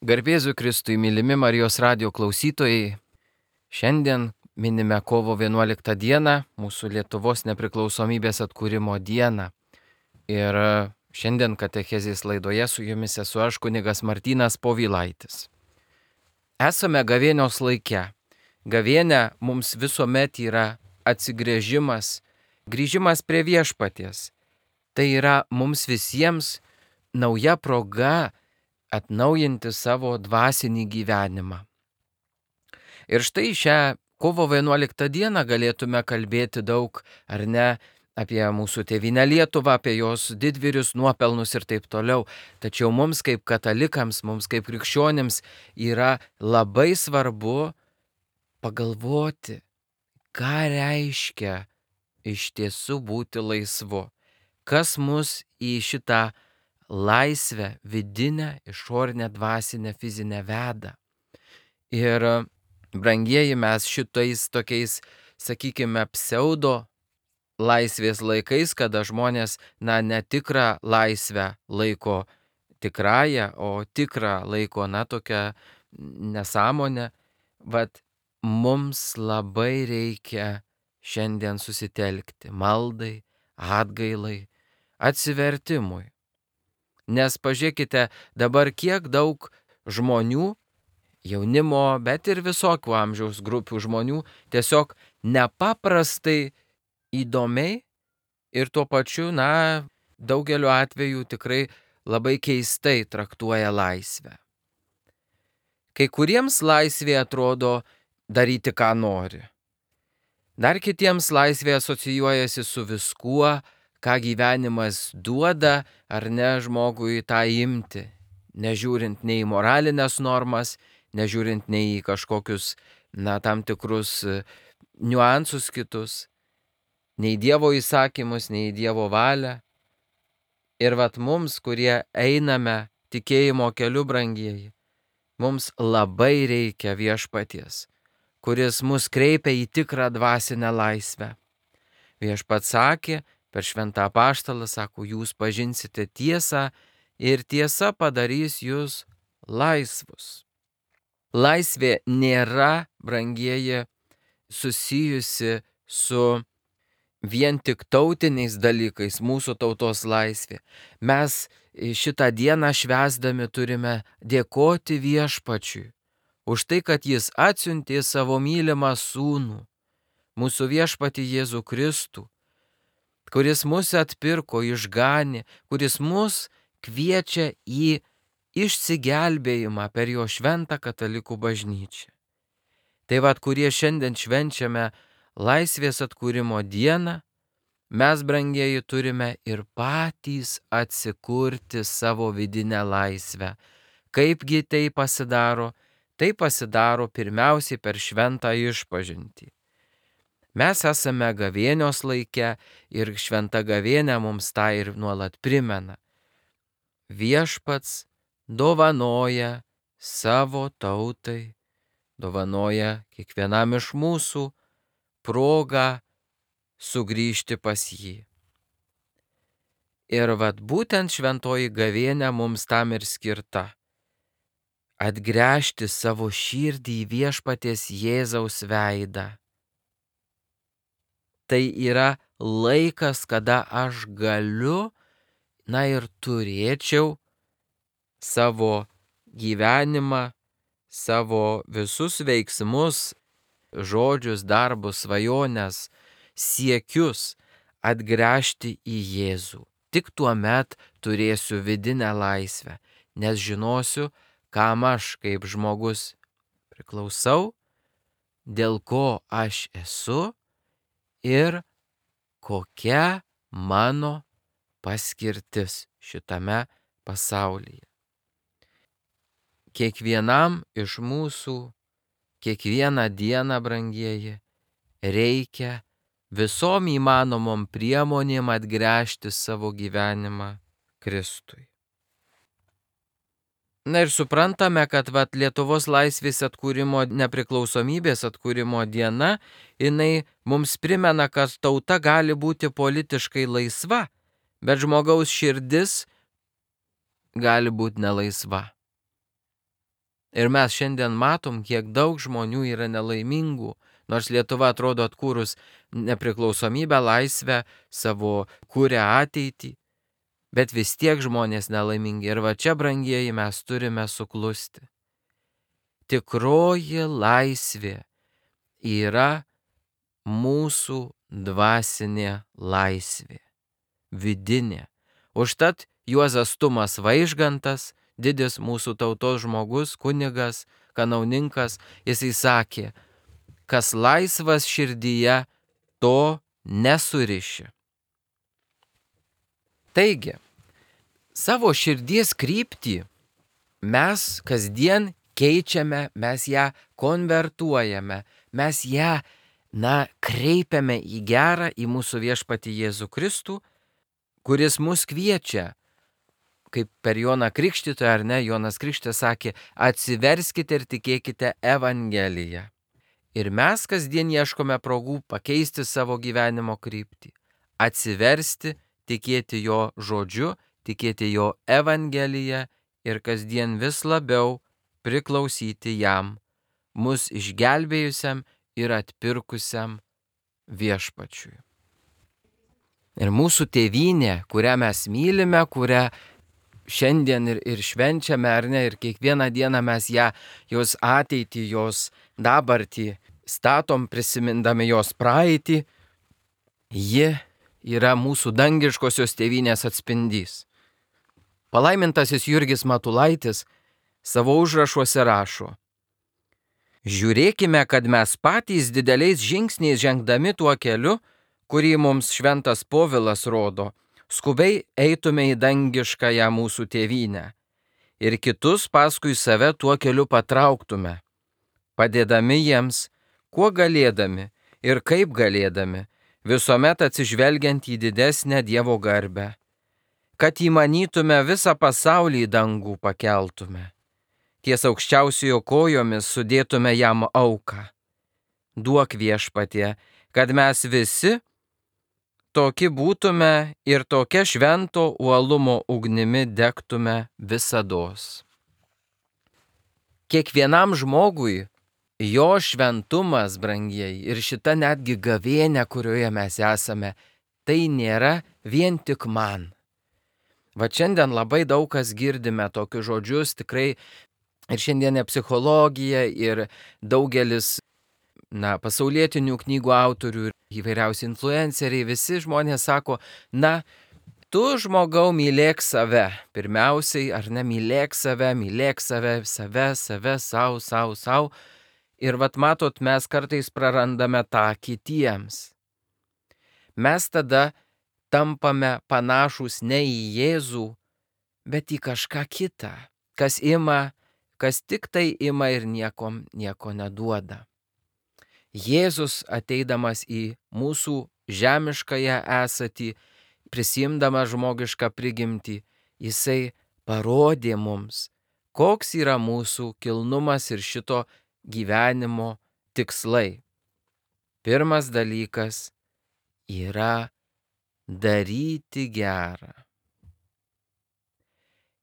Garbėzu Kristui, mylimi Marijos radijo klausytojai, šiandien minime kovo 11 dieną, mūsų Lietuvos nepriklausomybės atkūrimo dieną. Ir šiandien katechezės laidoje su jumis esu aš, kunigas Martynas Povilaitis. Esame gavėnios laike. Gavėnė mums visuomet yra atsigręžimas, grįžimas prie viešpaties. Tai yra mums visiems nauja proga atnaujinti savo dvasinį gyvenimą. Ir štai šią kovo 11 dieną galėtume kalbėti daug, ar ne, apie mūsų tėvynę Lietuvą, apie jos didvyrius, nuopelnus ir taip toliau. Tačiau mums kaip katalikams, mums kaip krikščionims yra labai svarbu pagalvoti, ką reiškia iš tiesų būti laisvu. Kas mus į šitą laisvę, vidinę, išorinę, dvasinę, fizinę veda. Ir brangieji, mes šitais tokiais, sakykime, pseudo laisvės laikais, kada žmonės, netikrą laisvę laiko tikrąją, o tikrą laiko, tokią nesąmonę, vat mums labai reikia šiandien susitelkti maldai, atgailai, atsivertimui. Nes pažiūrėkite, dabar kiek daug žmonių, jaunimo, bet ir visokių amžiaus grupių žmonių tiesiog nepaprastai įdomiai ir tuo pačiu, daugeliu atveju tikrai labai keistai traktuoja laisvę. Kai kuriems laisvė atrodo daryti, ką nori. Dar kitiems laisvė asocijuojasi su viskuo, ką gyvenimas duoda, ar ne, žmogui tą imti, nežiūrint nei į moralinės normas, nežiūrint nei į kažkokius, tam tikrus niuansus kitus, nei Dievo įsakymus, nei Dievo valią. Ir mums, kurie einame tikėjimo keliu, brangieji, mums labai reikia viešpaties, kuris mus kreipia į tikrą dvasinę laisvę. Viešpats sakė, per šventą apaštalą, sako, jūs pažinsite tiesą ir tiesa padarys jūs laisvus. Laisvė nėra, brangieji, susijusi su vien tik tautiniais dalykais, mūsų tautos laisvė. Mes šitą dieną švęsdami turime dėkoti viešpačiui už tai, kad jis atsiuntė savo mylimą sūnų, mūsų viešpatį Jėzų Kristų, kuris mus atpirko, išganė, kuris mus kviečia į išsigelbėjimą per jo šventą katalikų bažnyčią. Tai kurie šiandien švenčiame laisvės atkūrimo dieną, mes, brangieji, turime ir patys atsikurti savo vidinę laisvę. Kaipgi tai pasidaro? Tai pasidaro pirmiausiai per šventą išpažintį. Mes esame gavėnios laike ir šventa gavėnė mums tą ir nuolat primena. Viešpats dovanoja savo tautai, dovanoja kiekvienam iš mūsų progą sugrįžti pas jį. Ir būtent šventoji gavėnė mums tam ir skirta. Atgręžti savo širdį į viešpaties Jėzaus veidą. Tai yra laikas, kada aš galiu, ir turėčiau savo gyvenimą, savo visus veiksmus, žodžius, darbus, svajones, siekius atgręžti į Jėzų. Tik tuomet turėsiu vidinę laisvę, nes žinosiu, kam aš kaip žmogus priklausau, dėl ko aš esu ir kokia mano paskirtis šitame pasaulyje. Kiekvienam iš mūsų, kiekvieną dieną, brangieji, reikia visom įmanomom priemonėm atgręžti savo gyvenimą Kristui. Ir suprantame, kad Lietuvos laisvės atkūrimo, nepriklausomybės atkūrimo diena, jinai mums primena, kad tauta gali būti politiškai laisva, bet žmogaus širdis gali būti nelaisva. Ir mes šiandien matom, kiek daug žmonių yra nelaimingų, nors Lietuva atrodo atkūrus nepriklausomybę, laisvę, savo kūrę ateitį, bet vis tiek žmonės nelaimingi. Ir va čia, brangieji, mes turime suklusti. Tikroji laisvė yra mūsų dvasinė laisvė, vidinė. Užtat Juozas Tumas Vaižgantas, didis mūsų tautos žmogus, kunigas, kanauninkas, jisai sakė, kas laisvas širdyje, to nesuriši. Taigi, savo širdies kryptį mes kasdien keičiame, mes ją konvertuojame, mes ją, kreipiame į gerą, į mūsų viešpatį Jėzų Kristų, kuris mus kviečia, kaip per Joną Krikštytoją, ar ne, Jonas Krikštytojas sakė, atsiverskite ir tikėkite Evangeliją. Ir mes kasdien ieškome progų pakeisti savo gyvenimo kryptį, atsiversti, tikėti jo žodžiu, tikėti jo Evangeliją ir kasdien vis labiau priklausyti jam, mus išgelbėjusiam ir atpirkusiam viešpačiui. Ir mūsų tėvynė, kurią mes mylime, kurią šiandien ir švenčiame, ar ne, ir kiekvieną dieną mes ją, jos ateitį, jos dabartį statom, prisimindami jos praeitį, ji yra mūsų dangiškosios tėvynės atspindys. Palaimintasis Jurgis Matulaitis savo užrašuose rašo: žiūrėkime, kad mes patys dideliais žingsniais žengdami tuo keliu, kurį mums šventas Povilas rodo, skubiai eitume į dangiškąją mūsų tėvynę ir kitus paskui save tuo keliu patrauktume, padėdami jiems, kuo galėdami ir kaip galėdami, visuomet atsižvelgiant į didesnę Dievo garbę, kad įmanytume visą pasaulį į dangų pakeltume, ties aukščiausiojo kojomis sudėtume jam auką. Duok viešpatie, kad mes visi toki būtume ir tokia švento uolumo ugnimi degtume visados. Kiekvienam žmogui jo šventumas, brangieji, ir šita netgi gavėnia, kurioje mes esame, tai nėra vien tik man. Va šiandien labai daug kas girdime tokius žodžius, tikrai ir šiandienė psichologija, ir daugelis pasaulietinių knygų autorių, įvairiausi influenceriai, visi žmonės sako, tu žmogau mylėk save, pirmiausiai, ar ne, mylėk save, save, sau. Ir vat matot, mes kartais prarandame tą kitiems. Mes tada tampame panašus ne į Jėzų, bet į kažką kitą, kas tik tai ima ir nieko neduoda. Jėzus ateidamas į mūsų žemiškąją esatį, prisimdamas žmogišką prigimtį, jisai parodė mums, koks yra mūsų kilnumas ir šito gyvenimo tikslai. Pirmas dalykas yra daryti gerą.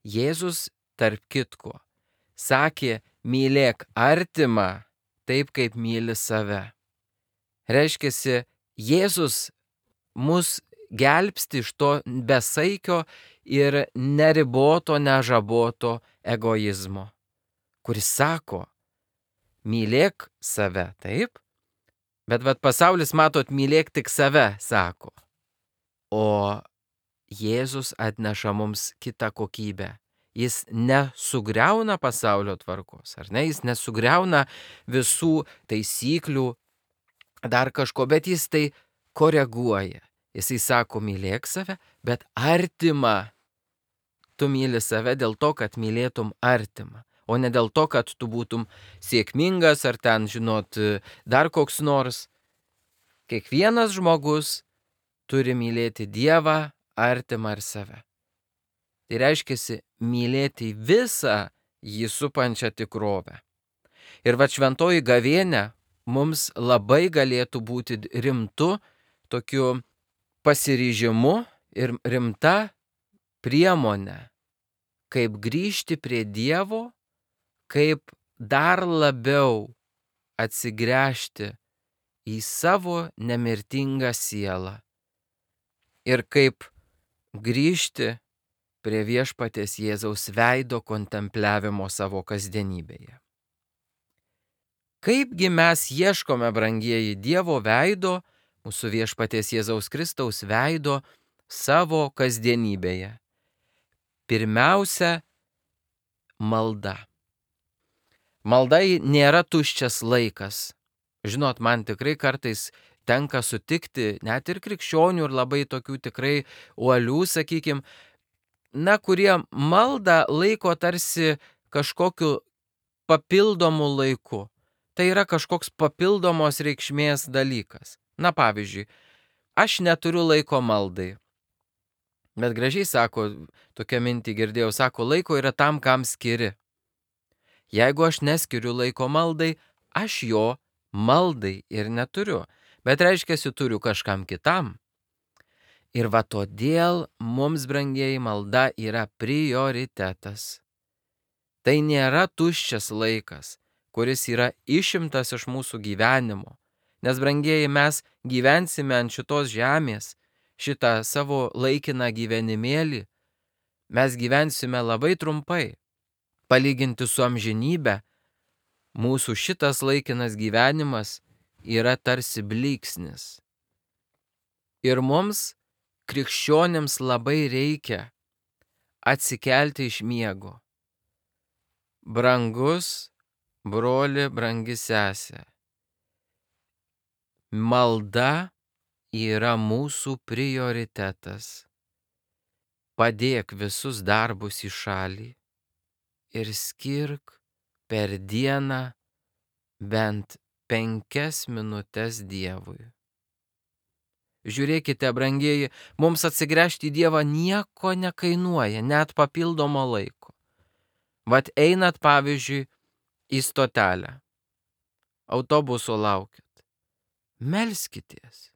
Jėzus, tarp kitko, sakė, mylėk artimą taip, kaip myli save. Reiškiasi, Jėzus mus gelbsti iš to besaikio ir neriboto, nežaboto egoizmo, kuris sako, mylėk save, taip? Bet pasaulis, matot, mylėk tik save, sako. O Jėzus atneša mums kitą kokybę. Jis nesugriauna pasaulio tvarkos, ar ne? Jis nesugriauna visų taisyklių, dar kažko, bet jis tai koreguoja. Jisai sako, mylėk save, bet artimą. Tu myli save dėl to, kad mylėtum artimą, o ne dėl to, kad tu būtum sėkmingas ar ten, dar koks nors. Kiekvienas žmogus turi mylėti Dievą, artimą ir save. Tai reiškia mylėti visą jį supančią tikrovę. Ir šventoji gavėnia mums labai galėtų būti rimtu tokiu pasiryžimu ir rimta priemonė, kaip grįžti prie Dievo, kaip dar labiau atsigręžti į savo nemirtingą sielą ir kaip grįžti prie viešpaties Jėzaus veido kontempliavimo savo kasdienybėje. Kaipgi mes ieškome, brangieji, Dievo veido, mūsų viešpaties Jėzaus Kristaus veido savo kasdienybėje? Pirmiausia, malda. Malda nėra tuščias laikas. Žinot, man tikrai kartais tenka sutikti net ir krikščionių ir labai tokių tikrai uolių, sakykime, kurie maldą laiko tarsi kažkokiu papildomu laiku. Tai yra kažkoks papildomos reikšmės dalykas. Pavyzdžiui, aš neturiu laiko maldai. Bet gražiai sako, tokią mintį girdėjau, sako, laiko yra tam, kam skiri. Jeigu aš neskiriu laiko maldai, aš jo maldai ir neturiu. Bet reiškia, turiu kažkam kitam. Ir todėl mums, brangieji, malda yra prioritetas. Tai nėra tuščias laikas, kuris yra išimtas iš mūsų gyvenimo. Nes, brangieji, mes gyvensime ant šitos žemės, šitą savo laikiną gyvenimėlį. Mes gyvensime labai trumpai. Palyginti su amžinybė, mūsų šitas laikinas gyvenimas yra tarsi blyksnis. Ir mums, krikščionims, labai reikia atsikelti iš miego. Brangus broli, brangi sesė, malda yra mūsų prioritetas. Padėk visus darbus į šalį ir skirk per dieną bent 5 minutes Dievui. Žiūrėkite, brangieji, mums atsigręžti į Dievą nieko nekainuoja, net papildomo laiko. Einat, pavyzdžiui, į stotelę, autobuso laukit. Melskitės.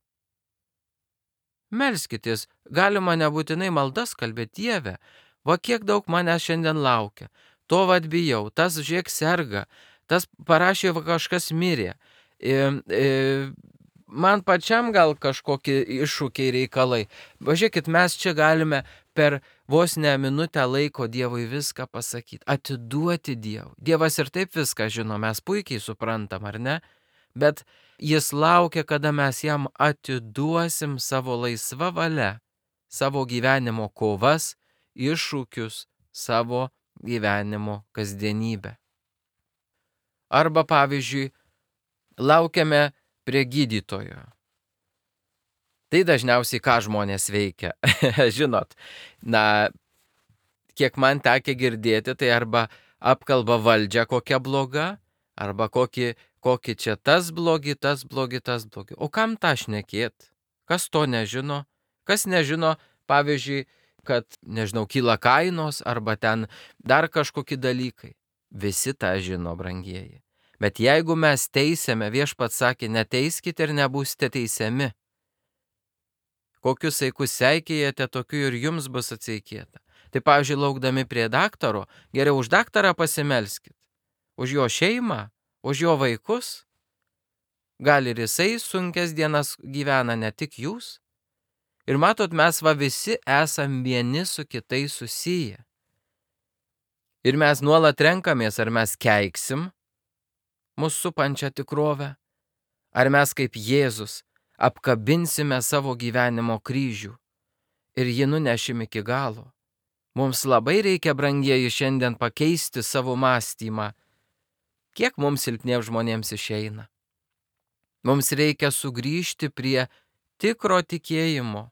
Melskitės, galima nebūtinai maldas kalbėti, Dieve, kiek daug manęs šiandien laukia, to bijau, tas žiūrėk serga, tas parašė kažkas mirė, man pačiam gal kažkokie iššūkiai reikalai. Važiuokit, mes čia galime per vos ne minutę laiko Dievui viską pasakyti, atiduoti Dievui. Dievas ir taip viską žino, mes puikiai suprantam, ar ne? Bet jis laukia, kada mes jam atiduosim savo laisvą valią, savo gyvenimo kovas, iššūkius, savo gyvenimo kasdienybę. Arba, pavyzdžiui, laukiame prie gydytojo. Tai dažniausiai ką žmonės veikia. Žinot, kiek man tekę girdėti, tai arba apkalba valdžią kokią blogą, arba kokį čia tas blogi. O kam tą šnekėt? Kas to nežino? Kas nežino, pavyzdžiui, kad, kyla kainos, arba ten dar kažkokie dalykai. Visi tą žino, brangieji. Bet jeigu mes teisėme, viešpats sakė, neteiskite ir nebūsite teisiami. Kokius saikus seikėjate, tokiu ir jums bus atseikėta. Tai, pavyzdžiui, laukdami prie daktaro, geriau už daktarą pasimelskit. Už jo šeimą, už jo vaikus. Gal ir jisai sunkias dienas gyvena, ne tik jūs. Ir matot, mes visi esam vieni su kitais susiję. Ir mes nuolat renkamės, ar mes keiksim mūsų supančią tikrovę, ar mes kaip Jėzus apkabinsime savo gyvenimo kryžių ir jį nunešim iki galo. Mums labai reikia, brangieji, šiandien pakeisti savo mąstymą. Kiek mums silpniems žmonėms išeina? Mums reikia sugrįžti prie tikro tikėjimo.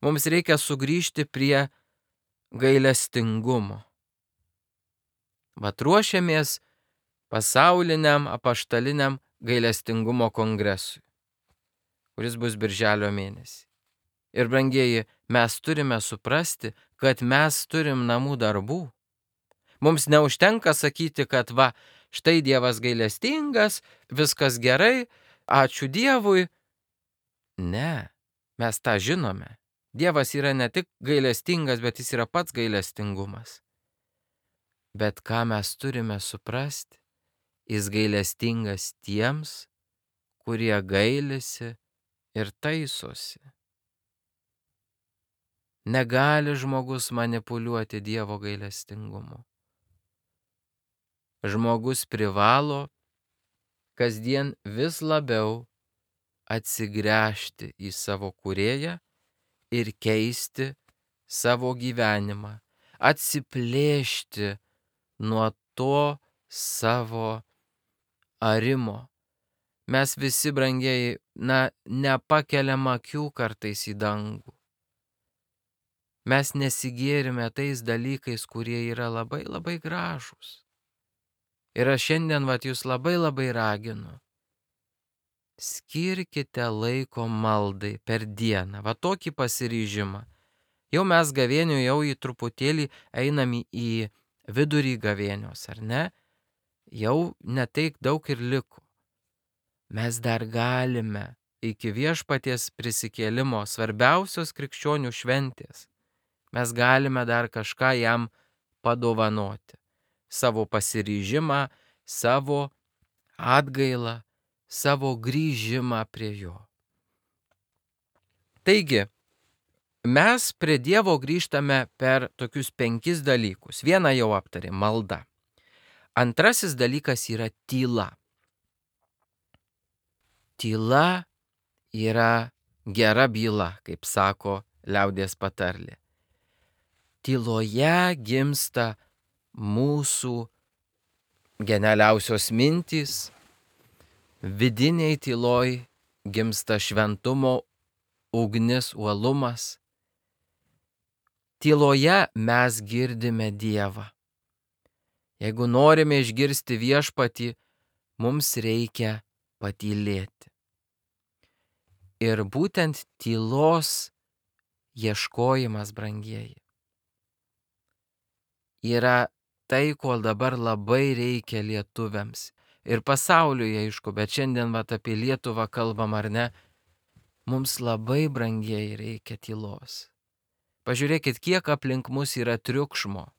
Mums reikia sugrįžti prie gailestingumo. Ruošiamės pasauliniam apaštaliniam gailestingumo kongresui, kuris bus birželio mėnesį. Ir, brangieji, mes turime suprasti, kad mes turim namų darbų. Mums neužtenka sakyti, kad štai Dievas gailestingas, viskas gerai, ačiū Dievui. Ne, mes tą žinome. Dievas yra ne tik gailestingas, bet jis yra pats gailestingumas. Bet ką mes turime suprasti, jis gailestingas tiems, kurie gailisi ir taisosi. Negali žmogus manipuliuoti Dievo gailestingumu. Žmogus privalo kasdien vis labiau atsigręžti į savo Kūrėją ir keisti savo gyvenimą, atsiplėšti nuo to savo arimo. Mes visi, brangieji, nepakeliam akių kartais į dangų. Mes nesigėrime tais dalykais, kurie yra labai labai gražūs. Ir aš šiandien jūs labai raginu. Skirkite laiko maldai per dieną, tokį pasiryžimą. Jau mes gavėnių jau į truputėlį einam į vidurį gavėnios, ar ne? Jau netaik daug ir liko. Mes dar galime iki viešpaties prisikėlimo, svarbiausios krikščionių šventės, mes galime dar kažką jam padovanoti. Savo pasiryžimą, savo atgailą, savo grįžimą prie jo. Taigi, mes prie Dievo grįžtame per tokius 5 dalykus. Vieną jau aptarėm - malda. Antrasis dalykas yra tyla. Tyla yra gera byla, kaip sako liaudies patarlė. Tyloje gimsta mūsų genialiausios mintys, vidiniai tyloj gimsta šventumo ugnis, uolumas. Tyloje mes girdime Dievą. Jeigu norime išgirsti viešpatį, mums reikia patylėti. Ir būtent tylos ieškojimas, brangieji, yra tai, ko dabar labai reikia lietuviams. Ir pasauliui, aišku, bet šiandien apie Lietuvą kalbam, ar ne? Mums labai, brangieji, reikia tylos. Pažiūrėkit, kiek aplink mus yra triukšmo.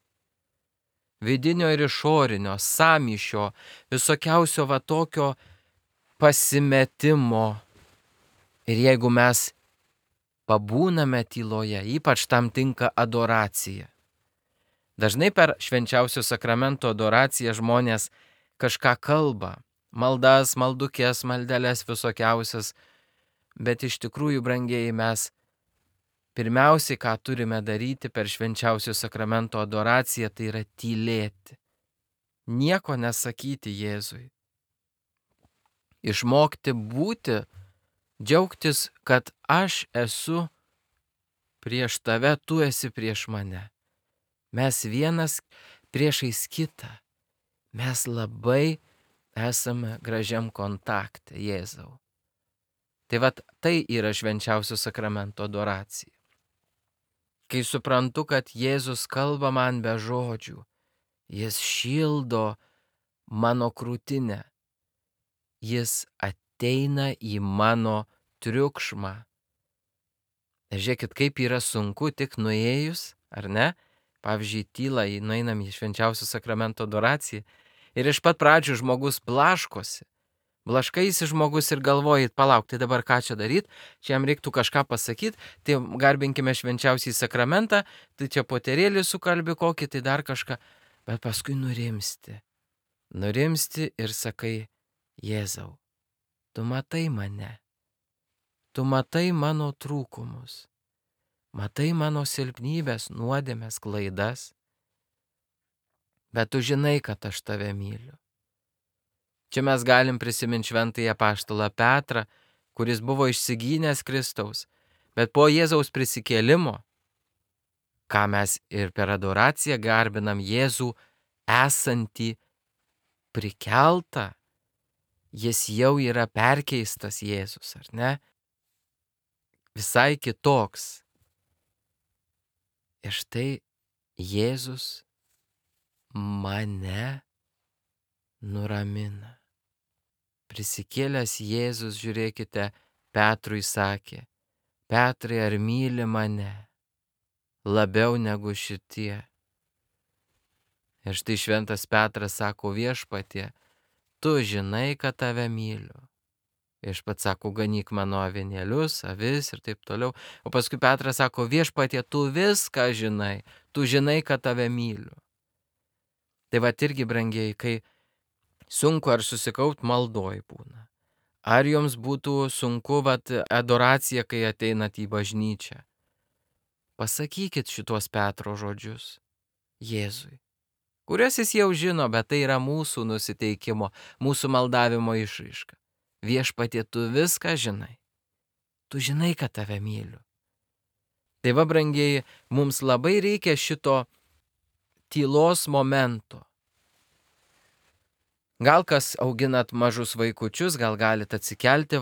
Vidinio ir išorinio, sąmyšio, visokiausio tokio pasimetimo. Ir jeigu mes pabūname tyloje, ypač tam tinka adoracija. Dažnai per švenčiausio sakramento adoraciją žmonės kažką kalba, maldas, maldukės, maldeles visokiausias, bet iš tikrųjų, brangieji, mes pirmiausiai, ką turime daryti per švenčiausio sakramento adoraciją, tai yra tylėti. Nieko nesakyti Jėzui. Išmokti būti, džiaugtis, kad aš esu prieš tave, tu esi prieš mane. Mes vienas priešais kitą. Mes labai esame gražiam kontakte, Jėzau. Tai tai yra švenčiausio sakramento adoracija. Kai suprantu, kad Jėzus kalba man be žodžių, jis šildo mano krūtinę, jis ateina į mano triukšmą. Žiūrėkit, kaip yra sunku tik nuėjus, ar ne? Pavyzdžiui, tylą, nueinam į švenčiausio sakramento adoraciją ir iš pat pradžių žmogus blaškosi. Blaškaisi žmogus ir galvoji, palauk, tai dabar ką čia daryti, čia jam reiktų kažką pasakyti, tai garbinkime švenčiausiai sakramentą, tai čia poterėlį sukalbi kokį, tai dar kažką, bet paskui nurimsti. Nurimsti ir sakai, Jėzau, tu matai mane, tu matai mano trūkumus, matai mano silpnybės, nuodėmes, klaidas, bet tu žinai, kad aš tave myliu. Čia mes galim prisiminti šventąjį apaštalą Petrą, kuris buvo išsigynęs Kristaus, bet po Jėzaus prisikėlimo, ką mes ir per adoraciją garbinam Jėzų esantį prikeltą, jis jau yra perkeistas Jėzus, ar ne? Visai kitoks. Ir štai Jėzus mane nuramina. Prisikėlęs Jėzus, žiūrėkite, Petrui sakė, Petrai, ar myli mane labiau negu šitie? Ir štai šventas Petras sako: Viešpatie, tu žinai, kad tave myliu. Viešpats sako: ganyk mano avinėlius, avis ir taip toliau. O paskui Petras sako: Viešpatie, tu viską žinai, tu žinai, kad tave myliu. Tai va irgi, brangieji, kai sunku ar susikaut maldoj būna. Ar jums būtų sunku adoracija, kai ateinat į bažnyčią? Pasakykit šitos Petro žodžius Jėzui, kurias jis jau žino, bet tai yra mūsų nusiteikimo, mūsų maldavimo išraiška. Viešpatie, tu viską žinai. Tu žinai, kad tave myliu. Tai va, brangieji, mums labai reikia šito tylos momento. Gal kas auginat mažus vaikučius, gal galit atsikelti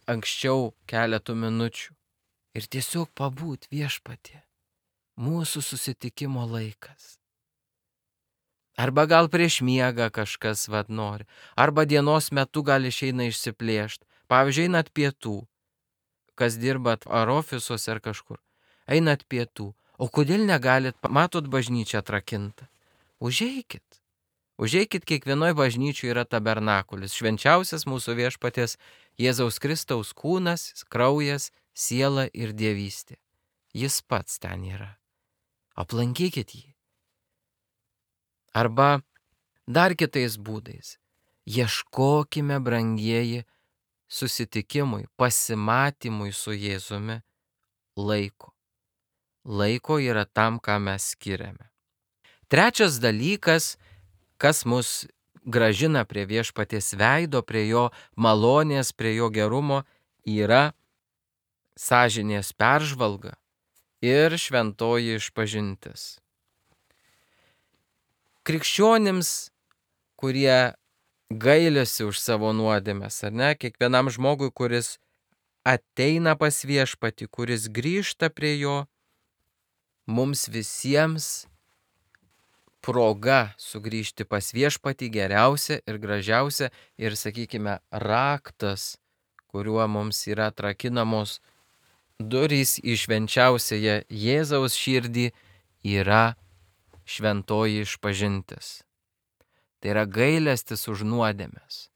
anksčiau keletų minučių ir tiesiog pabūt: Viešpatie, mūsų susitikimo laikas. Arba gal prieš miegą kažkas nori, arba dienos metu gal išeina išsiplėšti. Pavyzdžiui, einat pietų, kas dirbat ar ofisuose ar kažkur, einat pietų. O kodėl negalit, matot bažnyčią atrakinta? Užeikit. Užeikit, kiekvienoj bažnyčių yra tabernakulis, švenčiausias mūsų Viešpaties Jėzaus Kristaus kūnas, kraujas, siela ir dievystė. Jis pats ten yra. Aplankykit jį. Arba dar kitais būdais. Ieškokime, brangieji, susitikimui, pasimatymui su Jėzumi laiko. Laiko yra tam, ką mes skiriame. Trečias dalykas, kas mus gražina prie Viešpaties veido, prie jo malonės, prie jo gerumo, yra sąžinės peržvalga ir šventoji išpažintis. Krikščionims, kurie gailisi už savo nuodėmes, ar ne, kiekvienam žmogui, kuris ateina pas Viešpatį, kuris grįžta prie jo, mums visiems proga sugrįžti pas Viešpatį geriausia ir gražiausia ir, sakykime, raktas, kuriuo mums yra atrakinamos durys į švenčiausiąją Jėzaus širdį, yra šventoji išpažintis. Tai yra gailestis už nuodėmes.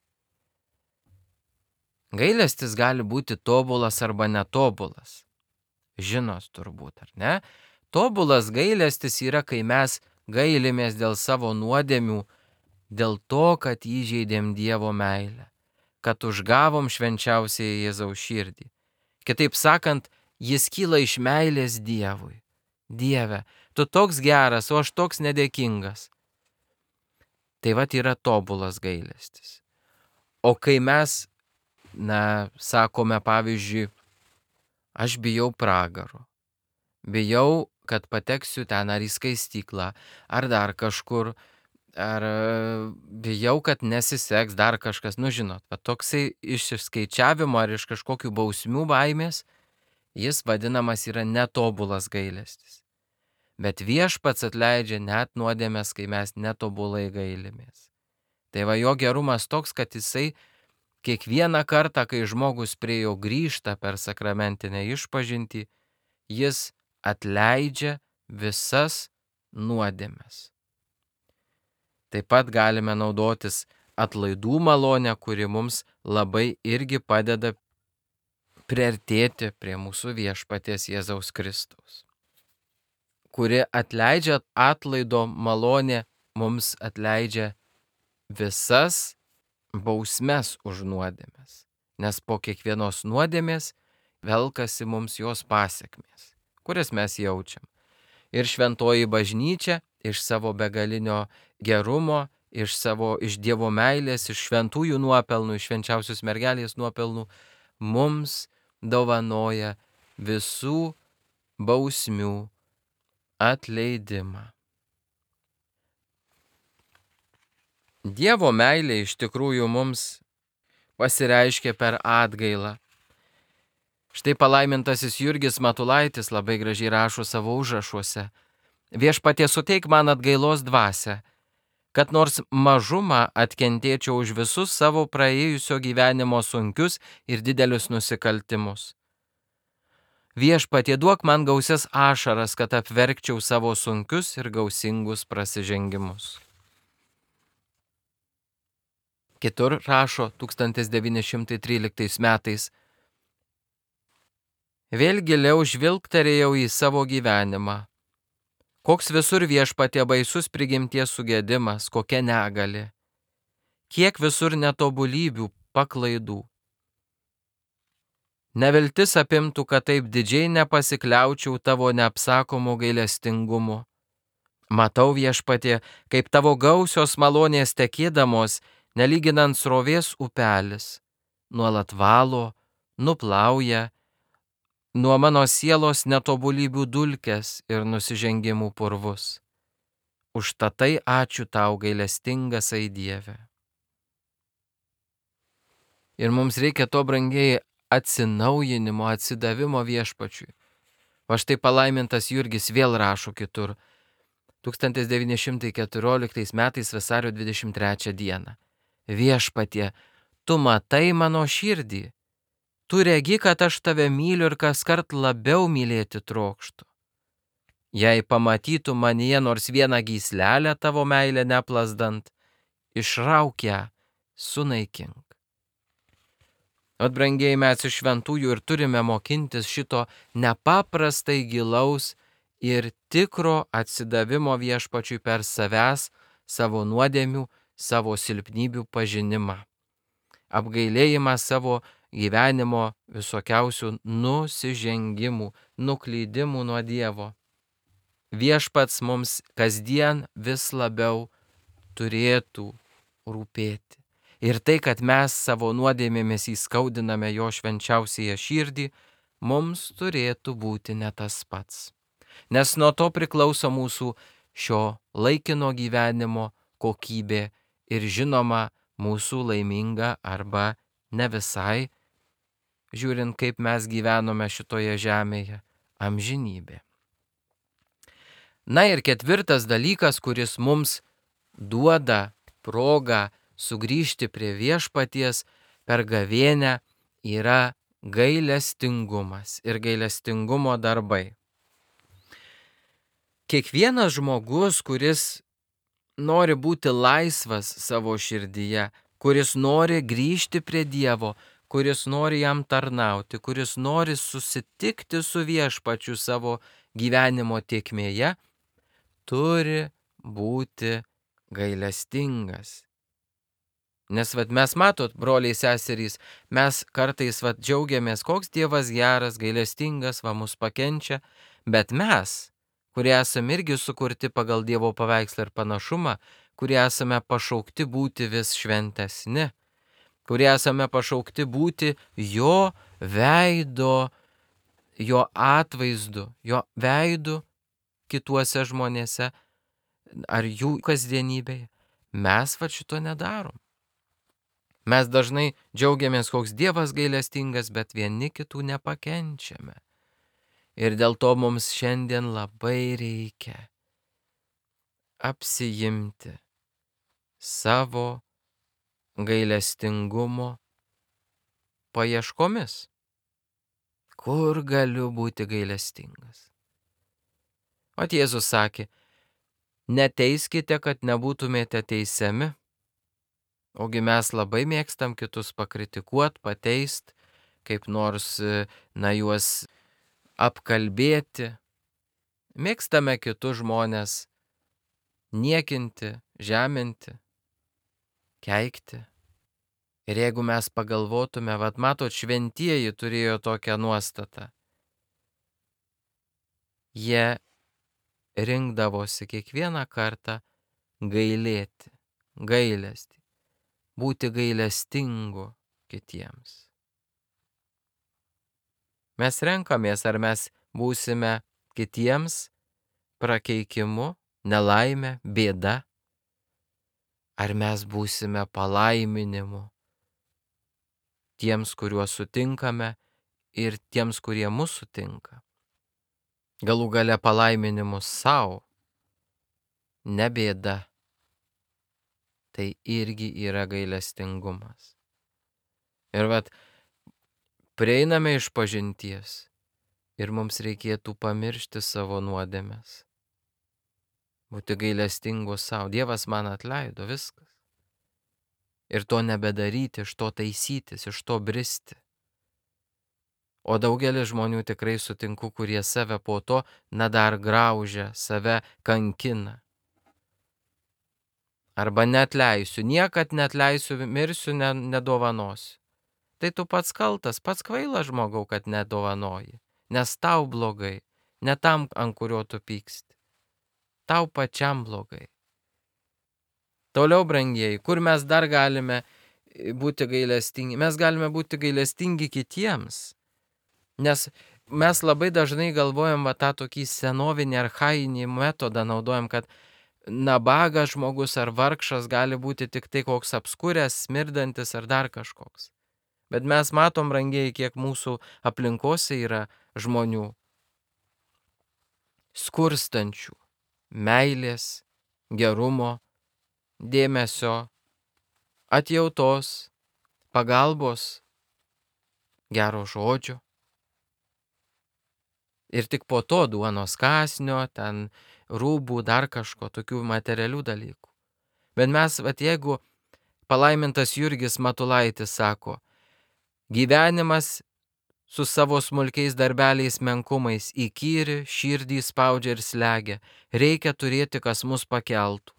Gailestis gali būti tobulas arba netobulas. Žinot turbūt, ar ne? Tobulas gailestis yra, kai mes gailimės dėl savo nuodėmių, dėl to, kad įžeidėm Dievo meilę, kad užgavom švenčiausiąją Jėzaus širdį. Kitaip sakant, jis kyla iš meilės Dievui. Dieve, tu toks geras, o aš toks nedėkingas. Tai yra tobulas gailestis. O kai mes, sakome, pavyzdžiui, aš bijau pragaro, bijau, kad pateksiu ten ar į skaistyklą, ar dar kažkur, ar bijau, kad nesiseks dar kažkas, žinot, toksai iš išskaičiavimo ar iš kažkokių bausmių baimės, jis vadinamas yra netobulas gailestis. Bet Viešpats atleidžia net nuodėmes, kai mes netobulai gailimės. Tai jo gerumas toks, kad jisai kiekvieną kartą, kai žmogus prie jo grįžta per sakramentinę išpažintį, jis atleidžia visas nuodėmes. Taip pat galime naudotis atlaidų malonę, kuri mums labai irgi padeda priartėti prie mūsų Viešpaties Jėzaus Kristaus, kuri atleidžia, atlaido malonė mums atleidžia visas bausmes už nuodėmes, nes po kiekvienos nuodėmės velkasi mums jos pasekmės, kurias mes jaučiam. Ir šventoji bažnyčia iš savo begalinio gerumo, iš Dievo meilės, iš šventųjų nuopelnų, iš švenčiausios mergelės nuopelnų mums dovanoja visų bausmių atleidimą. Dievo meilė iš tikrųjų mums pasireiškia per atgailą. Štai palaimintasis Jurgis Matulaitis labai gražiai rašo savo užrašuose: Viešpatie, suteik man atgailos dvasią, kad nors mažumą atkentėčiau už visus savo praėjusio gyvenimo sunkius ir didelius nusikaltimus. Viešpatie, duok man gausias ašaras, kad apverkčiau savo sunkius ir gausingus prasižengimus. Kitur rašo 1913 metais. Vėl giliau žvilgterėjau į savo gyvenimą. Koks visur Viešpatie baisus prigimties sugedimas, kokia negali. Kiek visur netobulybių, paklaidų. Neviltis apimtų, kad taip didžiai nepasikliaučiau tavo neapsakomu gailestingumu. Matau, Viešpatie, kaip tavo gausios malonės tekėdamos, nelyginant srovės upelis, nuolat valo, nuplauja nuo mano sielos netobulybių dulkes ir nusižengimų purvus. Užtatai ačiū tau, gailestingasai Dieve. Ir mums reikia to, brangiai, atsinaujinimo, atsidavimo Viešpačiui. Va štai palaimintas Jurgis vėl rašo kitur. 1914 metais vasario 23 dieną. Viešpatie, tu matai mano širdį. Tu regi, kad aš tave myliu ir kaskart labiau mylėti trokštu. Jei pamatytų manyje nors vieną gyslelę tavo meilę neplasdant, išrauk ją, sunaikink. Ot, brangiai, mes iš šventųjų ir turime mokintis šito nepaprastai gilaus ir tikro atsidavimo Viešpačiui per savęs, savo nuodėmių, savo silpnybių pažinimą. Apgailėjimą savo gyvenimo visokiausių nusižengimų, nuklydimų nuo Dievo. Viešpats mums kasdien vis labiau turėtų rūpėti. Ir tai, kad mes savo nuodėmėmis įskaudiname jo švenčiausiąją širdį, mums turėtų būti ne tas pats. Nes nuo to priklauso mūsų šio laikino gyvenimo kokybė ir žinoma mūsų laiminga arba ne visai, žiūrint kaip mes gyvenome šitoje žemėje, amžinybė. Na ir ketvirtas dalykas, kuris mums duoda progą sugrįžti prie Viešpaties per gavėnią, yra gailestingumas ir gailestingumo darbai. Kiekvienas žmogus, kuris nori būti laisvas savo širdyje, kuris nori grįžti prie Dievo, kuris nori jam tarnauti, kuris nori susitikti su Viešpačiu savo gyvenimo tėkmėje, turi būti gailestingas. Nes mes matot, broliai seserys, mes kartais džiaugiamės, koks Dievas geras, gailestingas, mus pakenčia, bet mes, kurie esame irgi sukurti pagal Dievo paveikslą ir panašumą, kurie esame pašaukti būti vis šventesni, kurie esame pašaukti būti jo veido, jo atvaizdu, jo veidu kituose žmonėse ar jų kasdienybėje, mes šito nedarom. Mes dažnai džiaugiamės, koks Dievas gailestingas, bet vieni kitų nepakenčiame. Ir dėl to mums šiandien labai reikia apsiimti savo gailestingumo paieškomis. Kur galiu būti gailestingas? O Jėzus sakė, neteiskite, kad nebūtumėte teisiami. Ogi mes labai mėgstam kitus pakritikuot, pateist, kaip nors, juos apkalbėti. Mėgstame kitus žmonės niekinti, žeminti, keikti. Ir jeigu mes pagalvotume, matot, šventieji turėjo tokią nuostatą. Jie rinkdavosi kiekvieną kartą gailėti, gailestį, būti gailestingu kitiems. Mes renkamės, ar mes būsime kitiems prakeikimu, nelaime, bėda, ar mes būsime palaiminimu tiems, kuriuos sutinkame ir tiems, kurie mus sutinka. Galų gale palaiminimus savo, ne bėda. Tai irgi yra gailestingumas. Ir prieiname iš pažinties ir mums reikėtų pamiršti savo nuodėmes. Būti gailestingus savo. Dievas man atleido, viskas. Ir to nebedaryti, iš to taisytis, iš to bristi. O daugelis žmonių tikrai sutinku, kurie save po to dar graužia, save kankina. Arba neatleisiu, niekad neatleisiu, mirsiu, nedovanosiu. Tai tu pats kaltas, pats kvailas žmogau, kad nedovanoji. Nes tau blogai, ne tam, ant kurio tu pyksti. Tau pačiam blogai. Toliau, brangieji, kur mes dar galime būti gailestingi? Mes galime būti gailestingi kitiems. Nes mes labai dažnai galvojam tą tokį senovinį archainį metodą naudojam, kad nabagas žmogus ar vargšas gali būti tik tai koks apskuręs, smirdantis ar dar kažkoks. Bet mes matom, brangieji, kiek mūsų aplinkose yra žmonių skurstančių, meilės, gerumo, dėmesio, atjautos, pagalbos, gero žodžio. Ir tik po to duonos kąsnio, ten rūbų, dar kažko, tokių materialių dalykų. Bet mes, jeigu palaimintas Jurgis Matulaitis sako, gyvenimas su savo smulkiais darbeliais menkumais įkyri, širdį spaudžia ir slegia, reikia turėti, kas mus pakeltų.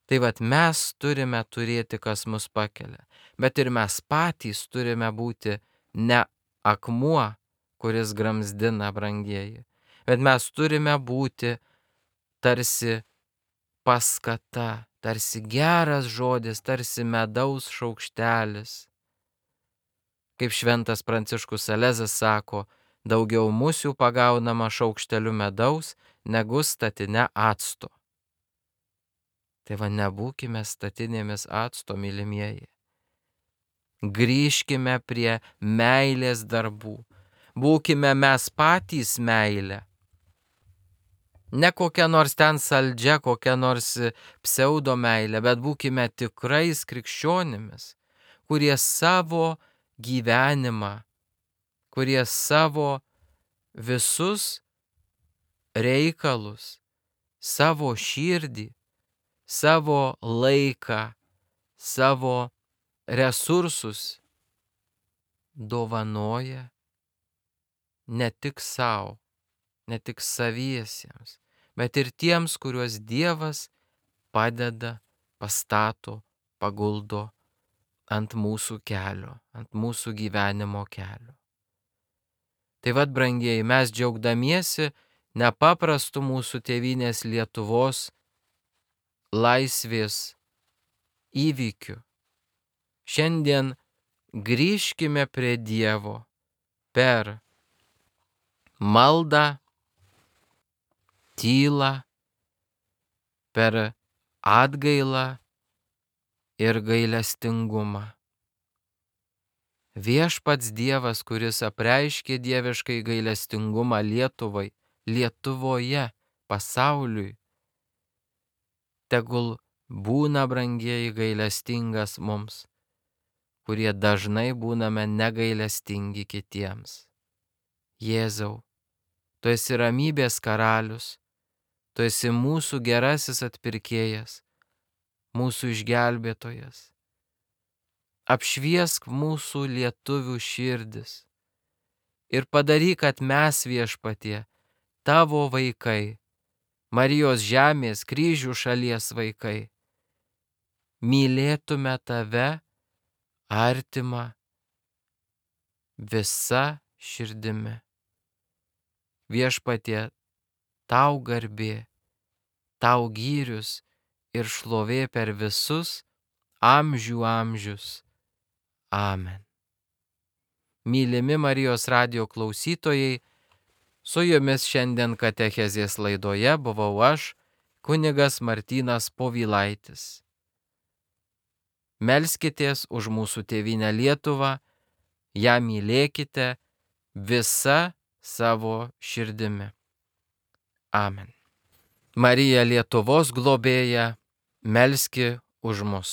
Tai mes turime turėti, kas mus pakelia, bet ir mes patys turime būti ne akmuo, kuris gramzdina, brangieji, bet mes turime būti tarsi paskata, tarsi geras žodis, tarsi medaus šaukštelis. Kaip šventas Pranciškus Salezas sako, daugiau musių pagaunama šaukšteliu medaus, negu statine acto. Tai nebūkime statinėmis acto, mylimieji. Grįžkime prie meilės darbų. Būkime mes patys meilė. Ne kokia nors ten saldžia, kokia nors pseudo meilė, bet būkime tikrais krikščionimis, kurie savo gyvenimą, kurie savo visus reikalus, savo širdį, savo laiką, savo resursus dovanoja ne tik savo, ne tik saviesiems, bet ir tiems, kuriuos Dievas padeda, pastato, paguldo ant mūsų kelio, ant mūsų gyvenimo kelio. Tai brangieji, mes džiaugdamiesi nepaprastu mūsų tėvynės Lietuvos laisvės įvykiu, šiandien grįžkime prie Dievo per maldą, tylą, per atgailą ir gailestingumą. Viešpats Dievas, kuris apreiškė dieviškai gailestingumą Lietuvai, Lietuvoje, pasauliui, tegul būna, brangieji, gailestingas mums, kurie dažnai būname negailestingi kitiems. Jėzau, tu esi ramybės karalius, tu esi mūsų gerasis atpirkėjas, mūsų išgelbėtojas. Apšviesk mūsų lietuvių širdis ir padaryk, kad mes, Viešpatie, tavo vaikai, Marijos žemės, kryžių šalies vaikai, mylėtume tave, artimą, visa širdimi. Viešpatie, tau garbė, tau gyrius ir šlovė per visus amžių amžius. Amen. Mylimi Marijos radijo klausytojai, su jumis šiandien katechezės laidoje buvau aš, kunigas Martynas Povilaitis. Melskitės už mūsų tėvynę Lietuvą, ją mylėkite visa savo širdimi. Amen. Marija Lietuvos globėja, melski už mus.